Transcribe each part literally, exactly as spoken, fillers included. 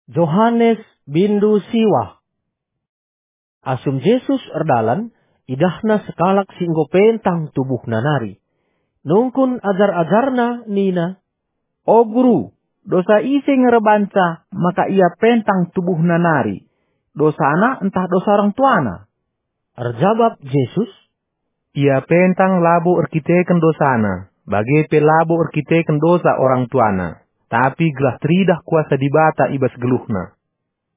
Johanes bindu siwah. Asum Jesus erdalan, idahna sekalak si enggo pentang tubuhna nari. Nungkun ajar-ajarNa nina, "O Guru, dosa ise nge erbanca maka ia pentang tubuhna nari? Dosana ntah dosa orang tuana?" Erjabap Jesus, "Ia pentang labo erkiteken dosana, bage pe labo erkiteken dosa orang tuana, tapi gelah teridah kuasa Dibata i bas geluhna.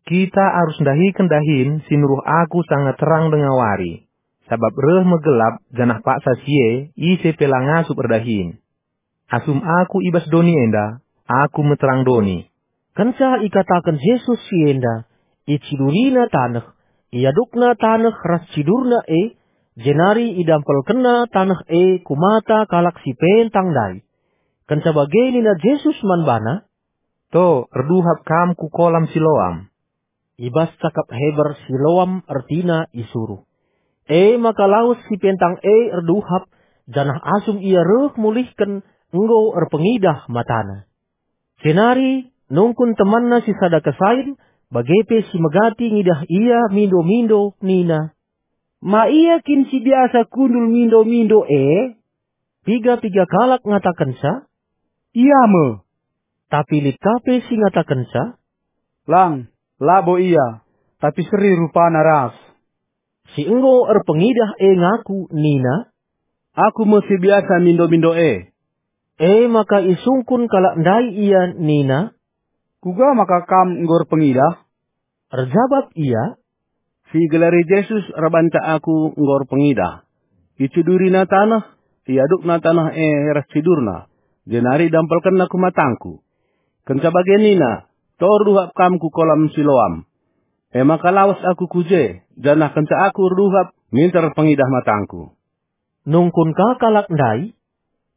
Kita arus ndahiken dahin si nuruh Aku sanga terang denga wari, sabap reh me gelap janah paksa si e ise pe la ngasup erdahin. Asum Aku i bas doni enda, Aku me terang doni." Kenca ikataken Jesus si enda, icidurina taneh, iadukna taneh ras cidurna e, jenari idampelkenna taneh e ku mata kalak si pentang ndai. Kenca bage nina Jesus man bana, "To, erduhap kam ku kolam Siloam." I bas cakap Heber, Siloam ertina isuruh. E maka lawes si pentang e erduhap, janah asum ia reh mulihken, enggo erpengidah matana. Jenari nungkun temanna si sada kesain, bage pe si megati ngidah ia mindo-mindo nina, "Ma ia kin si biasa kundul mindo-mindo e?" Piga-piga kalak ngatakenca, "Ia me." Tapi lit ka pe si ngatakenca, "Lang, labo ia, tapi seri rupana ras." Si enggo erpengidah e ngaku nina, "Aku me si biasa mindo-mindo e." E maka isungkun kalak ndai ia nina, "Kuga maka kam enggo erpengidah?" Erjabap ia, "Si igelari Jesus erbanca aku enggo erpengidah. Icidurina taneh, iadukna taneh e ras cidurna, jenari idampelkenna ku matangku. Kenca bage nina, 'To erduhap kam ku kolam Siloam.' E maka lawes aku ku je, janah kenca aku erduhap, minter erpengidah matangku." Nungkun ka kalak ndai,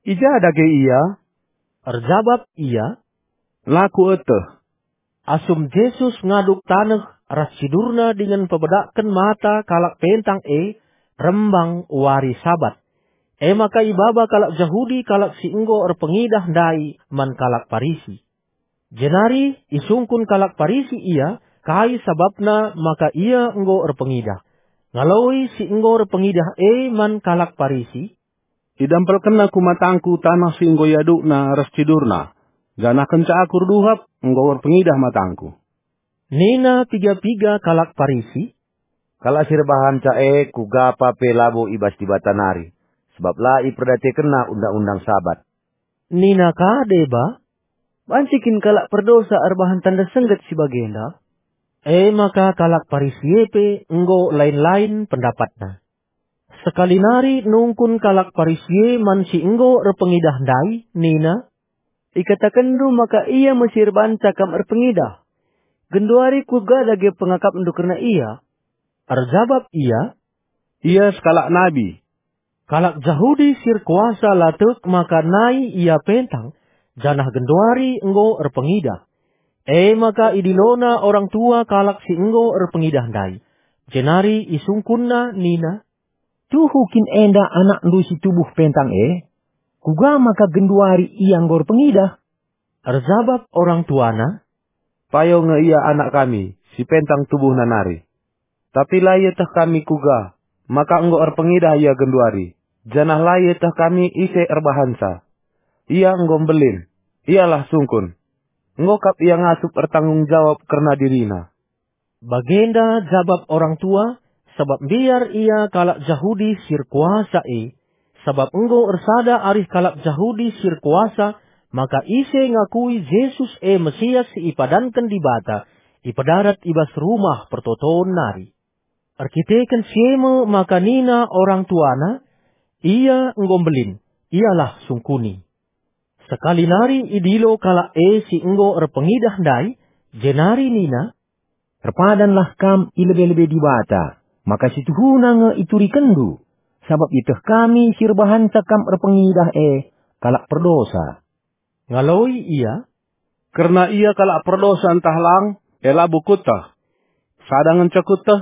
"I ja dage ia?" Erjabap ia, "La kueteh." Asum Jesus ngaduk taneh ras cidurna dingen pebedakken mata kalak pentang e, rembang wari Sabat. E maka ibaba kalak Jahudi kalak si enggo erpengidah ndai man kalak Parisi. Jenari isungkun kalak Parisi ia, kai sabapna maka ia enggo erpengidah. Ngaloi si enggo erpengidah e man kalak Parisi, "Idampelkenna ku matangku taneh si enggo iadukna ras cidurna, janah kenca aku erduhap, enggo erpengidah matangku." Nina piga-piga kalak Parisi, "Kalak si erbahanca e kuga pa pe labo i bas Dibata nari, sabap la iperdiatekenna undang-undang Sabat." Nina ka deba, "Banci kin kalak perdosa erbahan tanda sengget si bagenda?" E maka kalak Parisi e pe enggo lain-lain pendapatna. Sekali nari nungkun kalak Parisi e man si enggo erpengidah ndai nina, "Ikatakenndu maka ia me si erbanca kam erpengidah. Genduari kuga dage pengakapndu kerna ia?" Erjabap ia, "Ia sekalak nabi." Kalak Jahudi si erkuasa la tek maka nai ia pentang, janah genduari enggo erpengidah. E maka idilona orang tua kalak si enggo erpengidah ndai, jenari isungkunna nina, "Tuhu kin enda anakndu si tubuh pentang e? Kuga maka genduari ia enggo erpengidah?" Erjabap orang tuana, "Payo nge ia anak kami, si pentang tubuhna nari. Tapi la ieteh kami kuga maka enggo erpengidah ia genduari, janah la ieteh kami ise erbahanca. Ia enggo mbelin, ialah sungkun. Enggo kap ia ngasup ertanggung jawab kerna dirina." Bagenda jabap orang tua, sabap mbiar ia kalak Jahudi si erkuasa e. Sabap enggo ersada arih kalak Jahudi si erkuasa maka ise ngakui Jesus e Mesias si ipadanken Dibata, ipedarat i bas Rumah Pertoton nari. Erkiteken si e me maka nina orang tuana, "Ia enggo mbelin, ialah sungkuni." Sekali nari idilo kalak e si enggo erpengidah ndai, jenari nina, "Erpadanlah kam i lebe-lebe Dibata, maka si tuhuna nge iturikenndu, sabap ieteh kami si erbahanca kam erpengidah e kalak perdosa." Ngaloi ia, "Kerna ia kalak perdosa ntah lang, e labo kueteh. Sada ngenca kueteh,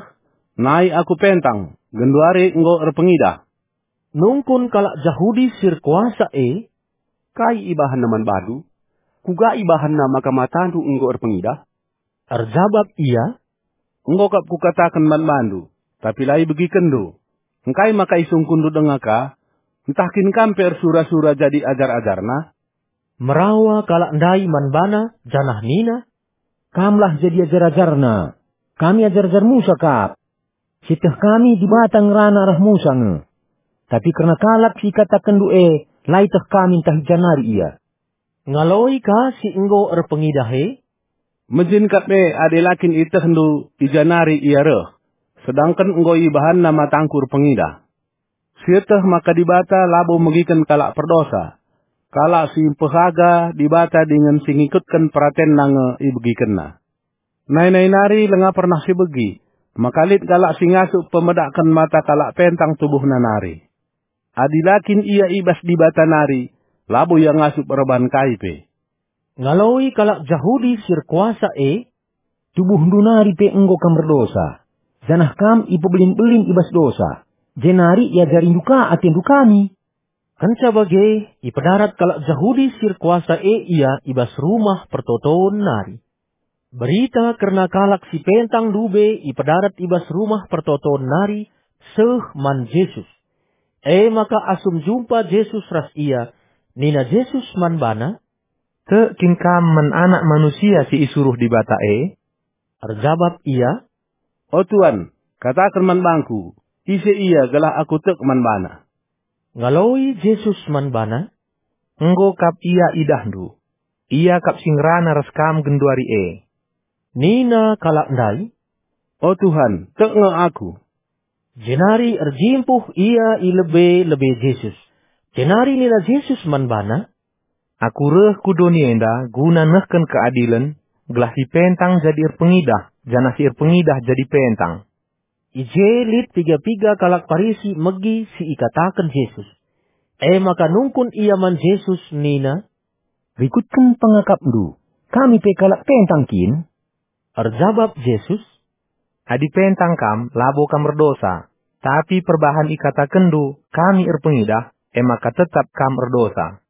nai aku pentang, genduari enggo erpengidah." Nungkun kalak Jahudi si erkuasa e, "Kai ibahanna man bandu? Kuga ibahanna maka matandu enggo erpengidah?" Erjabap ia, "Enggo kap kukataken man bandu, tapi la ibegikenndu. Engkai maka isungkunndu denga ka? Ntah kin kam pe ersura-sura jadi ajar-ajarna?" Merawa kalak ndai man bana, janah nina, "Kamlah jadi ajar-ajarna. Kami ajar-ajar Musa kap. Sieteh kami Dibata ngerana arah Musa nge. Tapi kerna kalak si ikatakenndu e, la ieteh kami ntah i ja nari ia." Ngaloi ka si enggo erpengidah e, "Mejin kap e adi la kin ietehndu i ja nari ia reh, sedangken enggo ibahanna matangku erpengidah. Sieteh maka Dibata labo megiken kalak perdosa. Kalak si mpehaga Dibata dingen si ngikutken peratenNa nge ibegikenNa. Nai-nai nari langa pernah sibegi, maka lit kalak si ngasup pemedakken mata kalak pentang tubuhna nari. Adi la kin ia i bas Dibata nari, labo ia ngasup erbahan kai pe." Ngaloi kalak Jahudi si erkuasa e, "Tubuhndu nari pe enggo kam erdosa, janah kam ipebelin-belin i bas dosa, jenari iajarindu ka atendu kami." Kenca bage, ipedarat kalak Jahudi si erkuasa e ia i bas Rumah Pertoton nari. Berita kerna kalak si pentang ndube ipedarat i bas Rumah Pertoton nari seh man Jesus. E maka asum jumpa Jesus ras ia, nina Jesus man bana, "Tek kin kam man Anak Manusia si isuruh Dibata e?" Erjabap ia, "O Tuan, kataken man bangku, ise ia gelah aku tek man bana." Ngaloi Jesus man bana, "Enggo kap ia idahndu. Ia kap si ngerana ras kam genduari e." Nina kalak ndai, "O Tuhan, tek nge aku." Jenari erjimpuh ia i lebe-lebe Jesus. Jenari nina Jesus man bana, "Aku reh ku doni enda guna nehken keadilen, gelah si pentang jadi erpengidah, janah si erpengidah jadi pentang." I je lit piga-piga kalak Parisi megi si ikataken Jesus. E maka nungkun ia man Jesus nina, "Rikutken pengakapndu, kami pe kalak pentang kin?" Erjabap Jesus, "Adi pentang kam, labo kam erdosa. Tapi perbahan ikatakenndu, 'Kami erpengidah,' e maka tetap kam erdosa."